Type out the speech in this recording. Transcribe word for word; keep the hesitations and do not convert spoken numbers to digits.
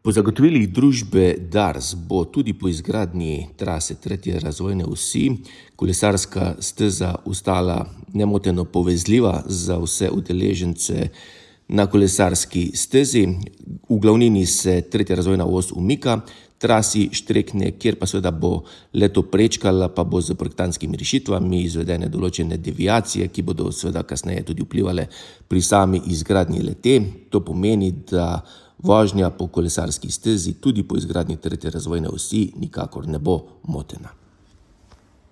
Po zagotovilih družbe Dars bo tudi po izgradnji trase tretje razvojne osi kolesarska steza ostala nemoteno povezljiva za vse udeležence na kolesarski stezi. V glavnini se tretja razvojna os umika, trasi Štrekne, kjer pa seveda bo le-to prečkala, pa bo s projektantskimi rešitvami izvedene določene deviacije, ki bodo seveda kasneje tudi vplivale pri sami izgradnji le-te. To pomeni, da vožnja po kolesarski stezi tudi po izgradnji tretje razvojne osi nikakor ne bo motena.